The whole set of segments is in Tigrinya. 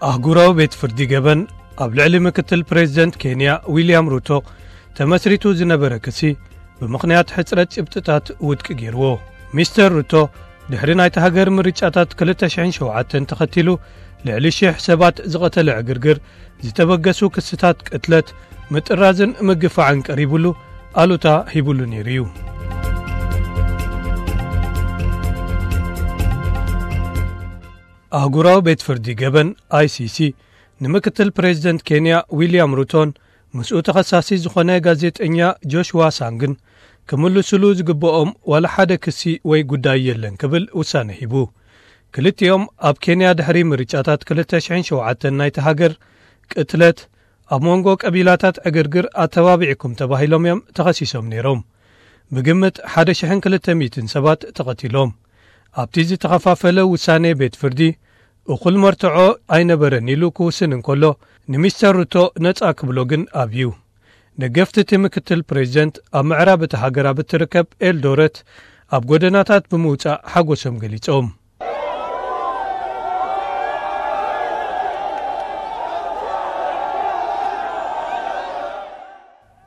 ኣህጉራዊ ቤት ፍርዲ ገበን ኣብ ልዕሊ ምክትል ፕሬዚደንት ኬንያ ዊልያም ሩቶ ተመስሪቱ ዝነበረ ክሲ ብምኽንያት ሕጽረት ጭብጥታት ውድቂ ገይርዎ። ሚስተር ሩቶ ድሕሪ ናይቲ ሃገር ምርጫታት ክልተ ሽሕን ሸውዓተን ተኸቲሉ ልዕሊ ሽሕ ሰባት ዝቐተለ ዕግርግር ዝተበገሱ ክስታት ቅትለት፣ ምጥራዝን ምግፋዕን ቀሪቡሉ ኣሉታ ሂቡሉ ነይሩ እዩ። ኣህጉራዊ ቤት ፍርዲ ገበን ኣይሲሲ ንምክትል ፕሬዚደንት ኬንያ ዊልያም ሩቶን ምስኡ ተኸሳሲ ዝኾነ ጋዜጠኛ ጆሽዋ ሳንግን ክምልሱሉ ዝግብኦም ዋላ ሓደ ክሲ ወይ ጉዳይ የለን ክብል ውሳነ ሂቡ። ክልቲኦም ኣብ ኬንያ ድሕሪ ምርጫታት ክልተ ሽሕን ሸውዓተን ናይቲ ሃገር ቅትለት፣ ኣብ መንጎ ቀቢላታት ዕግርግር ኣተባቢዕኩም ተባሂሎም እዮም ተኸሲሶም ነይሮም። ብግምት ሓደ ሽሕን ክልተ ሚእትን ሰባት ተቐቲሎም። ኣብቲ ዝተኸፋፈለ ውሳኔ ቤት ፍርዲ እኹል መርትዖ ኣይነበረን ኢሉ ክውስን እንከሎ፣ ንሚስተር ሩቶ ነጻ ክብሎ ግን ኣብዩ። ደገፍቲ እቲ ምክትል ፕሬዚደንት ኣብ ምዕራብ እቲ ሃገር ኣብ እትርከብ ኤልዶረት ኣብ ጎደናታት ብምውጻእ ሓጎሶም ገሊጾም።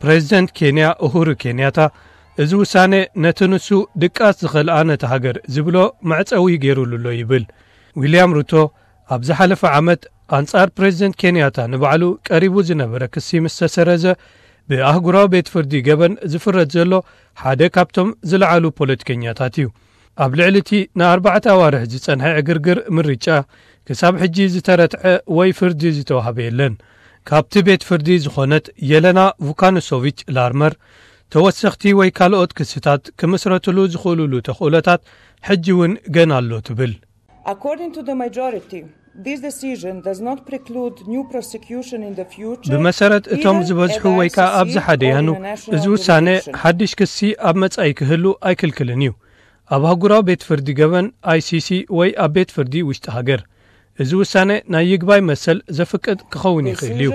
ፕሬዚደንት ኬንያ ኡሁሩ ኬንያታ እዚ ውሳኔ ነቲ ንሱ ድቃስ ዝኸልኣ ነቲ ሃገር ዝብሎ መዕጸዊ ገይሩሉ ኣሎ ይብል። ዊልያም ሩቶ ኣብ ዝሓለፈ ዓመት ኣንጻር ፕሬዚደንት ኬንያታ ንባዕሉ ቀሪቡ ዝነበረ ክሲ ምስ ተሰረዘ፣ ብኣህጉራዊ ቤት ፍርዲ ገበን ዝፍረድ ዘሎ ሓደ ካብቶም ዝለዓሉ ፖለቲከኛታት እዩ። ኣብ ልዕሊ እቲ ንኣርባዕተ ኣዋርሕ ዝጸንሐ ዕግርግር ምርጫ ክሳብ ሕጂ ዝተረትዐ ወይ ፍርዲ ዝተዋህበ የለን። ካብቲ ቤት ፍርዲ ዝኾነት የለና ቩካኑሶቪች ላርመር፣ ተወሰኽቲ ወይ ካልኦት ክስታት ክምስረትሉ ዝኽእሉሉ ተኽእሎታት ሕጂ እውን ገና ኣሎ ትብል። According to the majority, this decision does not preclude new prosecution in the future. ብመሰረት እቶም ዝበዝሑ ወይ ከዓ ኣብዚ ሓደ ያኑ፣ እዚ ውሳነ ሓድሽ ክሲ ኣብ መጻኢ ክህሉ ኣይክልክልን እዩ። ኣብ ኣህጉራዊ ቤት ፍርዲ ገበን ኣይሲሲ ወይ ኣብ ቤት ፍርዲ ውሽጢ ሃገር እዚ ውሳነ ናይ ይግባይ መሰል ዘፍቅድ ክኸውን ይኽእል እዩ።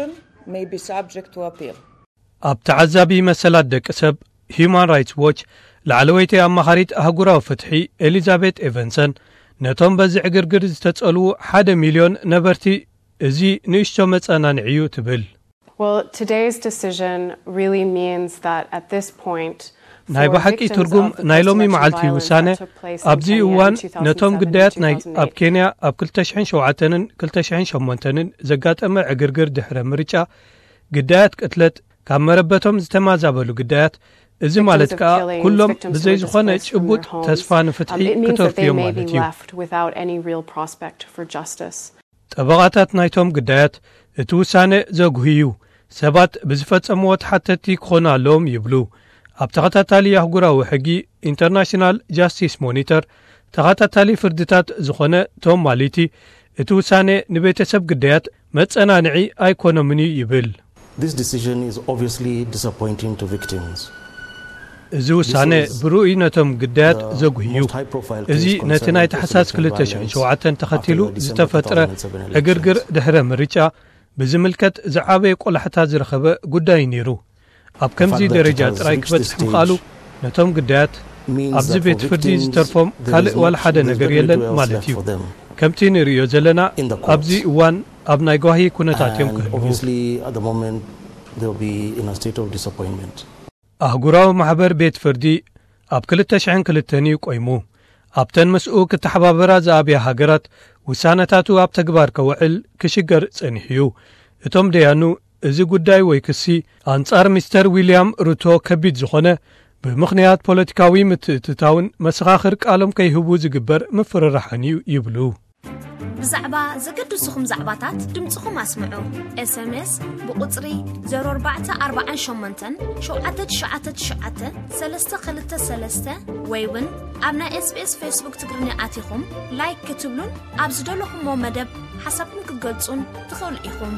ኣብ ተዓዛቢ መሰላት ደቂ ሰብ ሂዩማን ራይትስ ዎች ላዕለወይቲ ኣማኻሪት ኣህጉራዊ ፍትሒ ኤሊዛቤት ኤቨንሰን፣ ነቶም በዚ ዕግርግር ዝተጸልዉ ሓደ ሚልዮን ነበርቲ እዚ ንእሽቶ መጸናንዒ እዩ ትብል። Well, today's decision really means that at this point, ናይ ብሓቂ ትርጉም ናይ ሎሚ መዓልቲ ውሳነ፣ ኣብዚ እዋን ነቶም ግዳያት ናይ ኣብ ኬንያ ኣብ ክልተ ሽሕን ሸውዓተን ክልተ ሽሕን ሸሞንተን ዘጋጠመ ዕግርግር ድሕረ ምርጫ፣ ግዳያት ቅትለት፣ ካብ መረበቶም ዝተማዛበሉ ግዳያት፣ እዚ ማለት ከኣ ኩሎም ብዘይ ዝኾነ ጭቡጥ ተስፋ ንፍትሒ ክተርፉ እዮም ማለት እዩ። ጠበቓታት ናይቶም ግዳያት እቲ ውሳነ ዘጉሂ እዩ፣ ሰባት ብዝፈጸምዎ ተሓተትቲ ክኾኑ ኣለዎም ይብሉ። ኣብ ተኸታታሊ ኣህጉራዊ ሕጊ ኢንተርናሽናል ጃስቲስ ሞኒተር ተኸታታሊ ፍርድታት ዝኾነ ቶም ማሊቲ፣ እቲ ውሳነ ንቤተሰብ ግዳያት መጸናንዒ ኣይኮኖምን እዩ ይብል። እዚ ውሳነ ብርኡይ ነቶም ግዳያት ዘጉሂ እዩ። እዚ ነቲ ናይ ታሕሳስ ክልተ ሽሕን ሸውዓተን ተኸቲሉ ዝተፈጥረ ዕግርግር ድሕረ ምርጫ ብዝምልከት ዝዓበየ ቆላሕታ ዝረኸበ ጉዳይ ነይሩ። ኣብ ከምዚ ደረጃ ጥራይ ክበጽሕ ምኽኣሉ ነቶም ግዳያት ኣብዚ ቤት ፍርዲ ዝተርፎም ካልእ ዋላ ሓደ ነገር የለን ማለት እዩ። ከምቲ ንርእዮ ዘለና ኣብዚ እዋን ኣብ ናይ ጓሂ ኩነታት እዮም ክህልዉ። ኣህጉራዊ ማሕበር ቤት ፍርዲ ኣብ ክልተ ሽሕን ክልተን እዩ ቆይሙ። ኣብተን ምስኡ ክተሓባበራ ዝኣብያ ሃገራት ውሳነታቱ ኣብ ተግባር ከውዕል ክሽገር ጸኒሑ እዩ። እቶም ደያኑ እዚ ጉዳይ ወይ ክሲ ኣንጻር ሚስተር ዊልያም ሩቶ ከቢድ ዝኾነ ብምኽንያት ፖለቲካዊ ምትእትታውን መሰኻኽር ቃሎም ከይህቡ ዝግበር ምፍርራሕን እዩ ይብሉ። ብዛዕባ ዘገድስኹም ዛዕባታት ድምፅኹም ኣስምዑ። ኤስኤምኤስ ብቁፅሪ ዜሮ ኣርባዕተ ኣርባዓን ሸሞንተን ሸውዓተ ትሽዓተ ትሽዓተ ሰለስተ ክልተ ሰለስተ ወይ እውን ኣብ ናይ ኤስቢኤስ ፌስቡክ ትግርኛ ኣቲኹም ላይክ ክትብሉን ኣብ ዝደለኹሞ መደብ ሓሳብኩም ክትገልጹን ትኽእሉ ኢኹም።